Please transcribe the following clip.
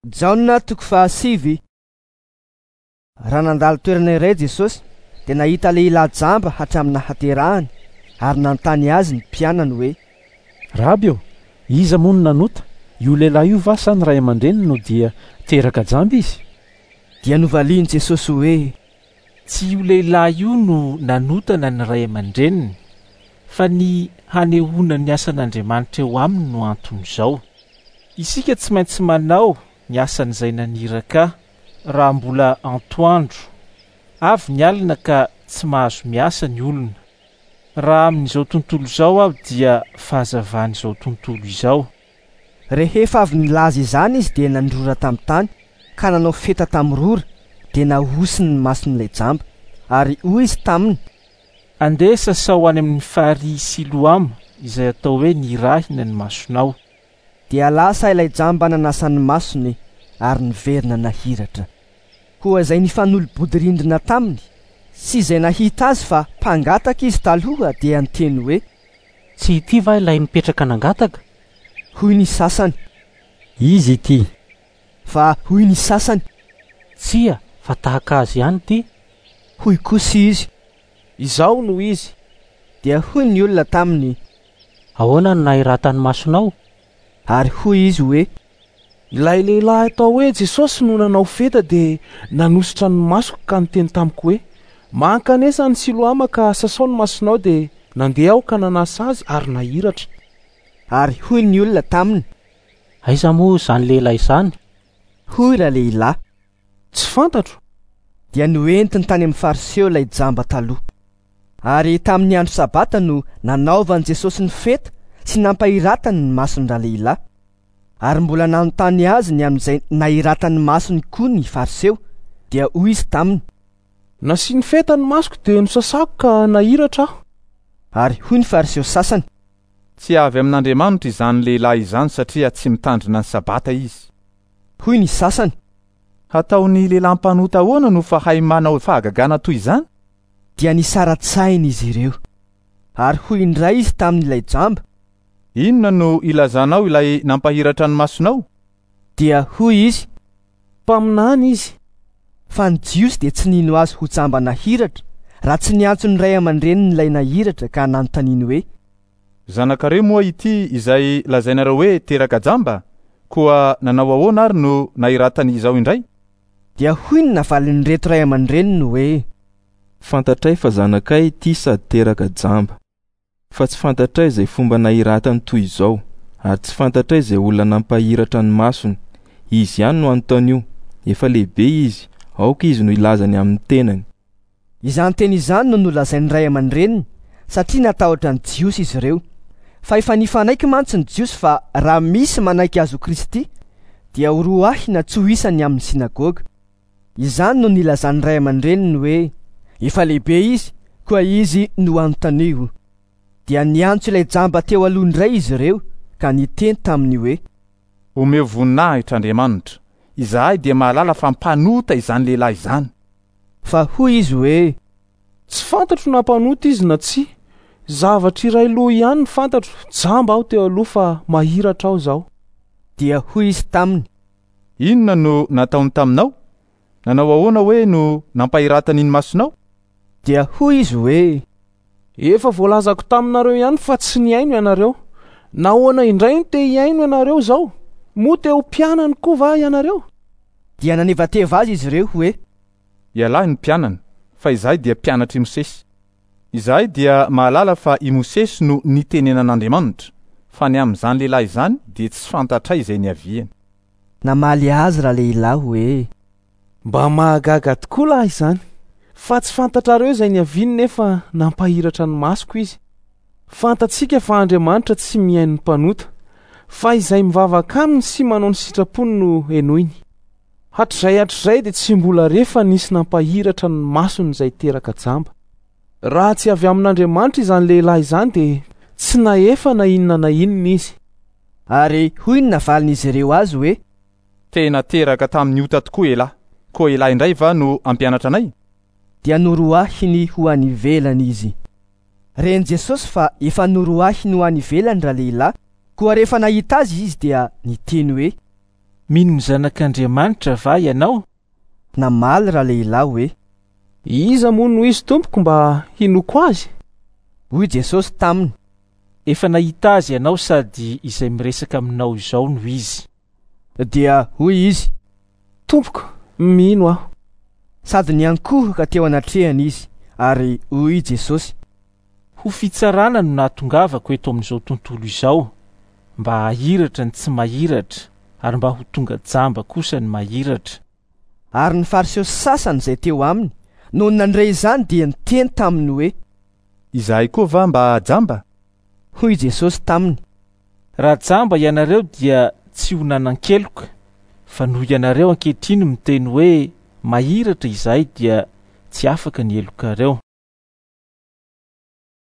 Jaona toko fahasivy. Raha nandalo toerana iray Jesosy, dia nahita lehilahy jamba hatramin'ny nahaterahany, ary nanontany azy ny mpianany hoe: Raby ô, iza moa no nanota, io lehilahy io va sa ny ray aman-dreniny no dia teraka jamba izy? Dia novalian'i Jesosy hoe: Tsy io lehilahy io no nanota na ny ray aman-dreniny, fa ny hanehoana ny asan'Andriamanitra eo aminy no anton'izao. Isika tsy maintsy manao ny asan'izay naniraka ahy, raha mbola antoandro. Avy ny alina ka tsy mahazo miasa ny olona. Raha amin'izao tontolo izao aho dia fahazavan'izao tontolo izao. Rehefa avy nilaza izany izy dia nandrora tamin'ny tany ka nanao feta tamin'ny rora, dia nahosiny ny mason'ilay jamba. Ary hoy izy taminy: Andeha sasao any amin'ny farihy Siloama, izay atao hoe Nirahina ny masonao. Dia lasa ilay jamba nanasa ny masony ary niverina nahiratra. Koa izay nifanolo-bodirindrina taminy sy izay nahita azy fa mpangataka izy taloha dia niteny hoe: Tsy ity va ilay nipetraka nangataka? Hoy ny sasany. Izy ity. Fa hoy ny sasany. Tsia, fa tahaka azy ihany ity. Hoy kosa izy. Izaho no izy. Dia hoy ny olona taminy. Ahoana no nahiratan'ny masonao? Ary hoy izy hoe. Ilay lehilahy atao hoe Jesosy no nanao feta dia nanosotra ny masoko ka niteny tamiko hoe, 'Mankanesa any Siloama ka sasao ny masonao' dia nandeha aho ka nanasa azy ary nahiratra. Ary hoy ny olona taminy. Aiza moa izany lehilahy izany? Hoy ralehilahy. Tsy fantatro. Dia noentiny tany amin'ny Fariseo ilay jamba taloha. Ary tamin'ny andro Sabata no nanaovan'i Jesosy ny fety sy nampahiratany ny mason-dralehilahy. Ary mbola nanontany azy ny amin'izay nahiratany masony koa ny Fariseo, dia hoy izy taminy. Nasiany feta ny masoko dia nosasako ka nahiratra aho. Ary hoy ny Fariseo sasany. Tsy avy amin'Andriamanitra izany lehilahy izany satria tsy mitandrina ny Sabata izy. Hoy ny sasany. Hataon'ny lehilahy mpanota ahoana no fahay manao fahagagana toy izany? Dia nisara-tsaina izy ireo. Ary hoy indray izy tamin'ilay jamba. Inona no ilazanao ilay nampahiratra ny masonao? Dia hoy izy. Mpaminany izy. Fa ny Jiosy dia tsy nino azy ho jamba nahiratra, raha tsy niantso ny ray aman-drenin'ilay nahiratra ka nanontaniany hoe. Zanakareo moa ity izay lazainareo hoe teraka jamba? Koa nanao ahoana ary no nahiratany izao indray? Dia hoy ny navalin'ireto ray aman-dreniny hoe. Fantatray fa zanakay ity sady teraka jamba. Fa tsy fantatray izay fomba nahiratany toy izao, ary tsy fantatray izay olona nampahiratra ny masony. Izy ihany no anontanio, efa lehibe izy, aoka izy no hilaza ny amin'ny tenany. Izany teny izany no nolazain'ny ray aman-dreniny, satria natahotra ny Jiosy izy ireo. Fa efa nifanaiky mantsy ny Jiosy fa raha misy manaiky azy ho Kristy, dia horoahina tsy ho isany amin'ny synagoga. Izany no nilazan'ny ray aman-dreniny hoe, Efa lehibe izy, koa izy no anontanio. Dia niantso ilay jamba teo aloha indray izy ireo, ka niteny taminy hoe. Omeo voninahitra Andriamanitra, izahay dia mahalala fa mpanota izany lehilahy izany. Fa hoy izy hoe. Tsy fantatro na mpanota izy na tsia. Zavatra iray loha ihany no fantatro, jamba aho teo aloha fa mahiratra aho izao. Dia hoy izy taminy. Inona no nataony taminao? Nanao ahoana hoe no nampahiratany ny masonao? Dia hoy izy hoe. Efa voalazako taminareo ihany fa tsy nihaino ianareo. Nahoana indray no te hihaino ianareo izao? Moa te ho mpianany koa va ianareo? Dia nanevateva azy izy ireo hoe. Ialahy no mpianany, fa izahay dia mpianatr'i Mosesy. Izahay dia mahalala fa i Mosesy no nitenenan'Andriamanitra, fa ny amin'izany lehilahy izany dia tsy fantatray izay niaviany. Namaly azy ralehilahy hoe. Mba mahagaga tokoa lahy izany, fa tsy fantatrareo izay niaviany nefa nampahiratra ny masoko izy. Fantatsika fa Andriamanitra tsy mihaino ny mpanota, fa izay mivavaka aminy sy manao ny sitrapony no henoiny. Hatrizay hatrizay dia tsy mbola re fa nisy nampahiratra ny masony izay teraka jamba. Raha tsy avy amin'Andriamanitra izany lehilahy izany dia tsy nahefa na inona na inona izy. Ary hoy ny navalin'izy ireo azy hoe. Tena teraka tamin'ny ota tokoa elah, koa elah indray va no hampianatra anay? Dia noroahiny ho any ivelany izy. Ren'i Jesosy fa efa noroahiny ho any ivelany ralehilahy, koa rehefa nahita azy izy dia niteny hoe. Mino ny Zanak'Andriamanitra va ianao? Namaly ralehilahy hoe: Iza moa no izy tompoko mba hinoako azy? Hoy Jesosy taminy: Efa nahita azy ianao sady izay miresaka aminao izao no izy. Dia hoy izy: Tompoko, mino aho. Sady niankohoka teo anatrehany izy, ary hoy Jesosy: Ho fitsarana no nahatongavako eto amin'izao tontolo izao, mba hahiratra ny tsy mahiratra ary mba ho tonga jamba kosa ny mahiratra. Ary ny Fariseo sasany izay teo aminy, nony nandre izany dia niteny taminy hoe: Izahay koa va mba jamba? Hoy Jesosy taminy: Raha jamba ianareo dia tsy ho nanan-keloka, fa noho ianareo ankehitriny miteny hoe mahiratra izahay dia tsy afaka ny helokareo.